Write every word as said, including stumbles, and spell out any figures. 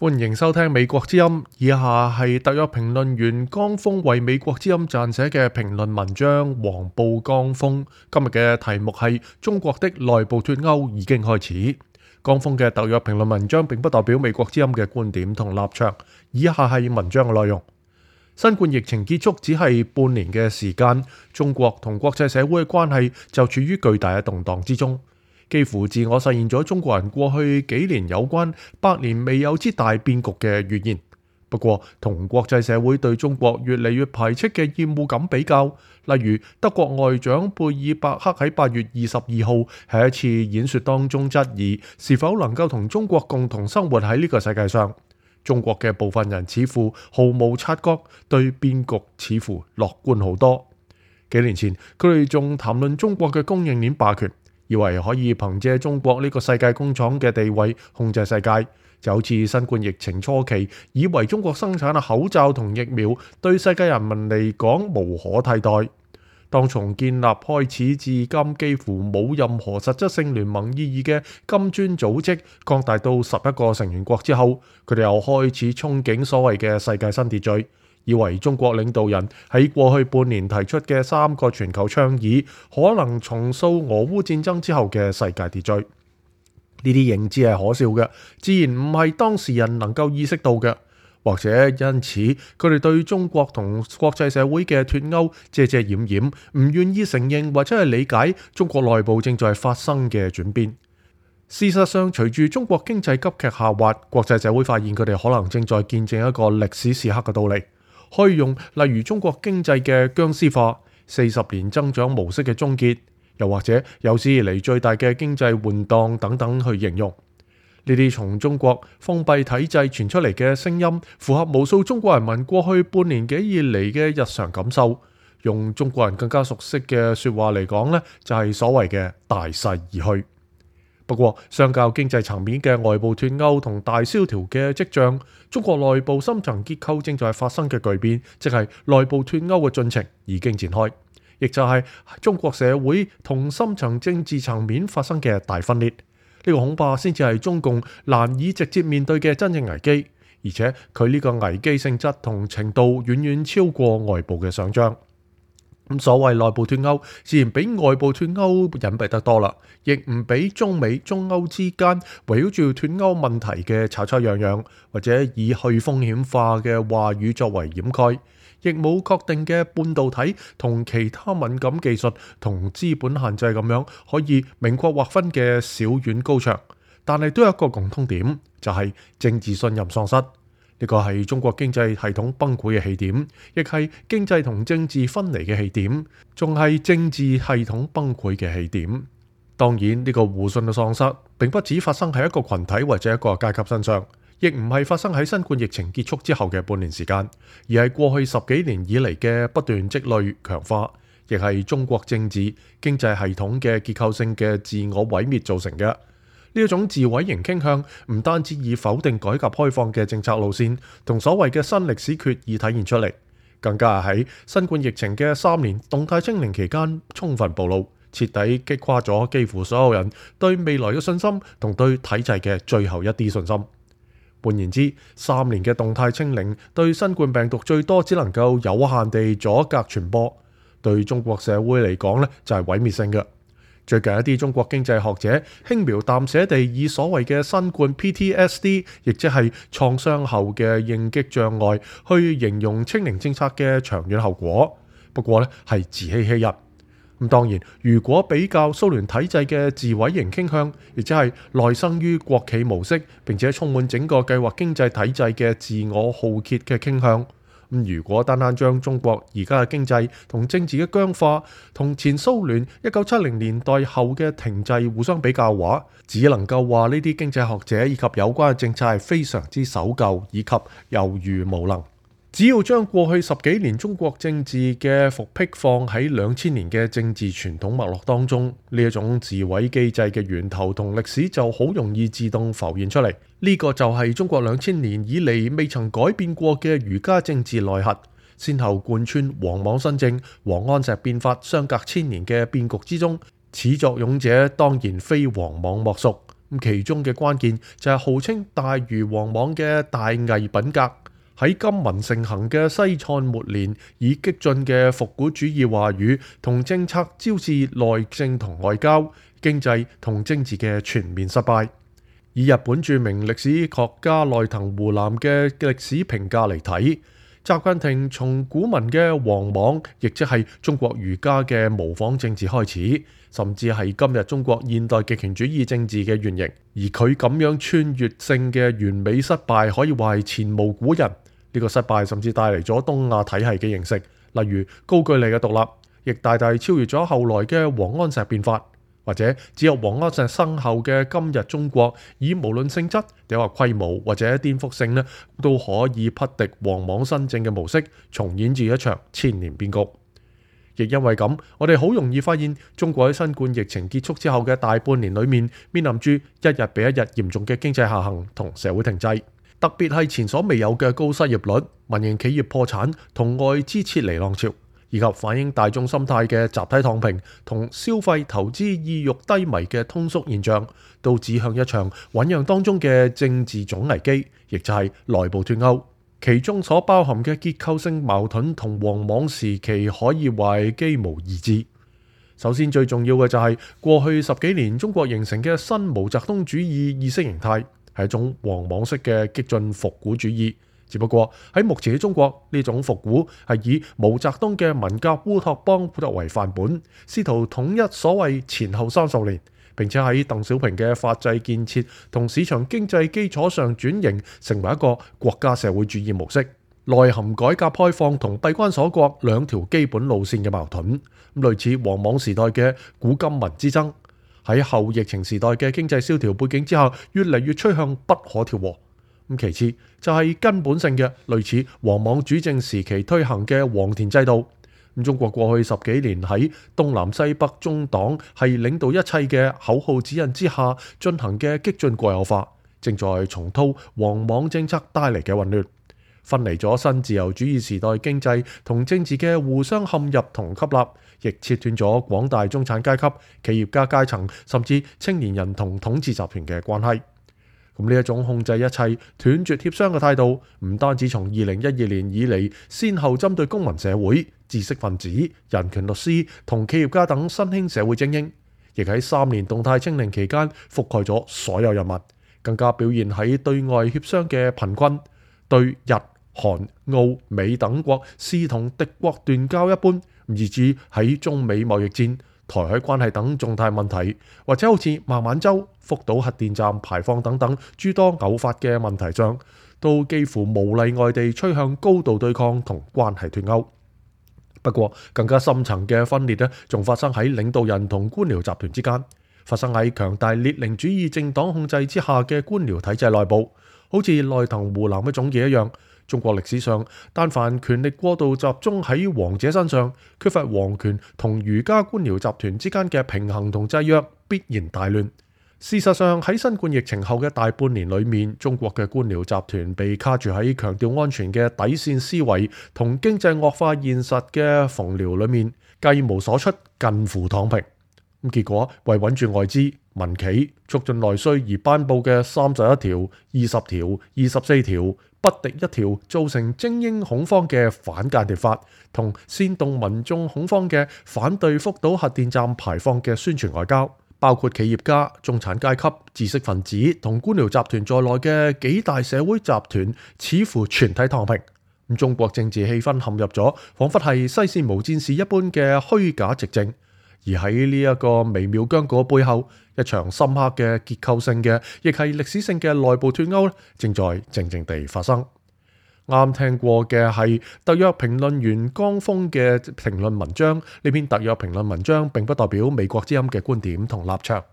歡迎收聽美國之音，以下係特約評論員江峰為美國之音撰寫嘅評論文章。黃報江峰今日嘅題目係中國的內部脫歐已經開始。江峰嘅特約評論文章並不代表美國之音嘅觀點同立場。以下係文章嘅內容。新冠疫情結束只係半年嘅時間，中國同國際社會嘅關係就處於巨大嘅動盪之中。幾乎自我實現咗中國人過去幾年有關百年未有之大變局嘅預言。不過，同國際社會對中國越嚟越排斥嘅厭惡感比較，例如德國外長貝爾伯克喺八月二十二號喺一次演說當中質疑是否能夠同中國共同生活喺呢個世界上。中國嘅部分人似乎毫無察覺，對變局似乎樂觀好多。幾年前，佢哋仲談論中國嘅供應鏈霸權，以為可以憑借中國呢個世界工廠嘅地位控制世界，就好似新冠疫情初期，以為中國生產嘅口罩同疫苗對世界人民嚟講無可替代。當從建立開始至今幾乎冇任何實質性聯盟意義嘅金磚組織擴大到十一個成員國之後，佢哋又開始憧憬所謂嘅世界新秩序，以為中國領導人喺過去半年提出嘅三個全球倡議可能重塑俄烏戰爭之後嘅世界秩序。呢啲認知係可笑嘅，自然唔係當事人能夠意識到嘅。或者因此，佢哋對中國同國際社會嘅脫歐遮遮掩掩，唔願意承認或者係理解中國內部正在發生嘅轉變。事實上，隨住中國經濟急劇下滑，國際社會發現佢哋可能正在見證一個歷史時刻嘅到嚟，可以用例如中國經濟嘅僵屍化、四十年增長模式嘅終結，又或者有史以嚟最大嘅經濟換檔等等去形容。呢啲從中國封閉體制傳出嚟嘅聲音，符合無數中國人民過去半年幾以嚟嘅日常感受。用中國人更加熟悉嘅說話嚟講呢，就係所謂嘅大勢而去。不過，相較經濟層面嘅外部脫歐同大蕭條嘅跡象，中國內部深層結構正在發生嘅巨變，即係內部脫歐嘅進程已經展開，亦就係中國社會同深層政治層面發生嘅大分裂。呢個恐怕先至係中共難以直接面對嘅真正危機，而且佢呢個危機性質同程度遠遠超過外部嘅想象。咁所謂內部脫歐，自然比外部脫歐隱蔽得多啦，亦唔比中美、中歐之間圍繞住脫歐問題嘅吵吵嚷嚷，或者以去風險化嘅話語作為掩蓋。亦冇確定嘅半導體同其他敏感技術同資本限制咁樣可以明確劃分嘅小院高牆，但係都有一個共通點，就係政治信任喪失。呢個係中國經濟系統崩潰嘅起點，亦係經濟同政治分離嘅起點，仲係政治系統崩潰嘅起點。當然，呢個互信嘅喪失並不只發生喺一個群體或者一個階級身上，亦唔係發生喺新冠疫情結束之後嘅半年時間，而係過去十幾年以嚟嘅不斷積累強化，亦係中國政治經濟系統嘅結構性嘅自我毀滅造成嘅。呢一種自毀型傾向唔單止以否定改革開放嘅政策路線同所謂嘅新歷史決議體現出嚟，更加係喺新冠疫情嘅三年動態清零期間充分暴露，徹底擊垮咗幾乎所有人對未來嘅信心同對體制嘅最後一啲信心。換言之，三年嘅動態清零對新冠病毒最多只能夠有限地阻隔傳播，對中國社會嚟講呢就係毀滅性嘅。最近一啲中國經濟學者輕描淡寫地以所謂嘅新冠 P T S D， 亦即係創傷後嘅應激障礙，去形容清零政策嘅長遠後果。不過呢係自欺欺人。咁當然，如果比較蘇聯體制嘅自毀型傾向，亦即係內生於國企模式，並且充滿整個計劃經濟體制嘅自我浩劫嘅傾向，咁如果單單將中國而家嘅經濟同政治嘅僵化，同前蘇聯一九七零年代後嘅停滯互相比較嘅話，只能夠話呢啲經濟學者以及有關嘅政策係非常之守舊以及猶豫無能。只要將過去十幾年中國政治嘅復辟放喺兩千年嘅政治傳統脈絡當中，呢一種自毀機制嘅源頭同歷史就好容易自動浮現出嚟。呢個就係中國兩千年以嚟未曾改變過嘅儒家政治內核，先後貫穿王莽新政、王安石變法相隔千年嘅變局之中，始作俑者當然非王莽莫屬。咁其中嘅關鍵就係號稱大如王莽嘅大偽品格，喺金文盛行嘅西漢末年，以激進嘅復古主義話語同政策招致內政同外交、經濟同政治嘅全面失敗。以日本著名歷史學家內藤湖南嘅歷史評價嚟睇，習近平從古文嘅王莽，亦即係中國儒家嘅模仿政治開始，甚至係今日中國現代極權主義政治嘅原型。而佢咁樣穿越性嘅完美失敗，可以話係前無古人。呢個失敗甚至帶嚟咗東亞體系嘅形成，例如高句麗嘅獨立，亦大大超越咗後來嘅王安石變法。或者只有王安石生後嘅今日中國，以無論性質、定話規模或者顛覆性呢，都可以匹敵王莽新政嘅模式，重演住一場千年變局。亦因為咁，我哋好容易發現，中國喺新冠疫情結束之後嘅大半年裏面，面臨住一日比一日嚴重嘅經濟下行同社會停滯，特別係前所未有嘅高失業率、民營企業破產同外資撤離浪潮，以及反映大眾心態嘅集體躺平同消費投資意欲低迷嘅通縮現象，都指向一場醞釀當中嘅政治總危機，亦就係內部脫歐。其中所包含嘅結構性矛盾同王莽時期可以話係幾無二致。首先最重要嘅就係過去十幾年中國形成嘅新毛澤東主義意識形態，係一種王莽式嘅激進復古主義。只不過喺目前嘅中國，呢種復古係以毛澤東嘅文革烏托邦作為範本，試圖統一所謂前後三十年，並且喺鄧小平嘅法制建設同市場經濟基礎上轉型，成為一個國家社會主義模式，內含改革開放同閉關鎖國兩條基本路線嘅矛盾，類似王莽時代嘅古今文之爭，喺後疫情時代嘅經濟蕭條背景之下，越嚟越趨向不可調和。其次就係根本性嘅類似王莽主政時期推行嘅黃田制度。中國過去十幾年喺東南西北中黨係領導一切嘅口號指引之下進行嘅激進國有化，正在重蹈王莽政策帶嚟嘅混亂，分離咗新自由主義時代經濟同政治嘅互相陷入同吸納，亦切斷咗廣大中產階級、企業家階層甚至青年人同統治集團嘅關係。咁呢一種控制一切、斷絕協商嘅態度，唔單止從二零一二年以嚟，先後針對公民社會、知識分子、人權律師同企業家等新興社會精英，亦喺三年動態清零期間覆蓋咗所有人物，更加表現喺對外協商嘅貧困，對日、韓、澳、美等國視同敵國斷交一般，以至喺中美貿易戰、台海關係等重大問題，或者好似孟晚舟、福島核電站排放等等諸多偶發嘅問題上，都幾乎無例外地趨向高度對抗同關係脫鈎。不過更加深層嘅分裂呢，仲發生喺領導人同官僚集團之間，發生喺強大列寧主義政黨控制之下嘅官僚體制內部，好似內藤湖南嘅總結一樣。中國歷史上，但凡權力過度集中喺王者身上，缺乏皇權同儒家官僚集團之間嘅平衡同制約，必然大亂。事實上，喺新冠疫情後嘅大半年裏面，中國嘅官僚集團被卡住喺強調安全嘅底線思維同經濟惡化現實嘅縫寮裏面，計無所出，近乎躺平。咁結果為穩住外資、民企、促進內需而頒布嘅三十一條、二十條、二十四條，不敵一條造成精英恐慌嘅反間諜法，同煽動民眾恐慌嘅反對福島核電站排放嘅宣傳外交，包括企業家、中產階級、知識分子同官僚集團在內嘅幾大社會集團，似乎全體躺平。咁中國政治氣氛陷入咗彷彿係西線無戰事一般嘅虛假寂靜。而喺呢一個微妙僵局背後，一場深刻嘅結構性嘅，亦係歷史性嘅內部脫歐，正在靜靜地發生。啱聽過嘅係特約評論員江峰嘅評論文章，呢篇特約評論文章並不代表美國之音嘅觀點同立場。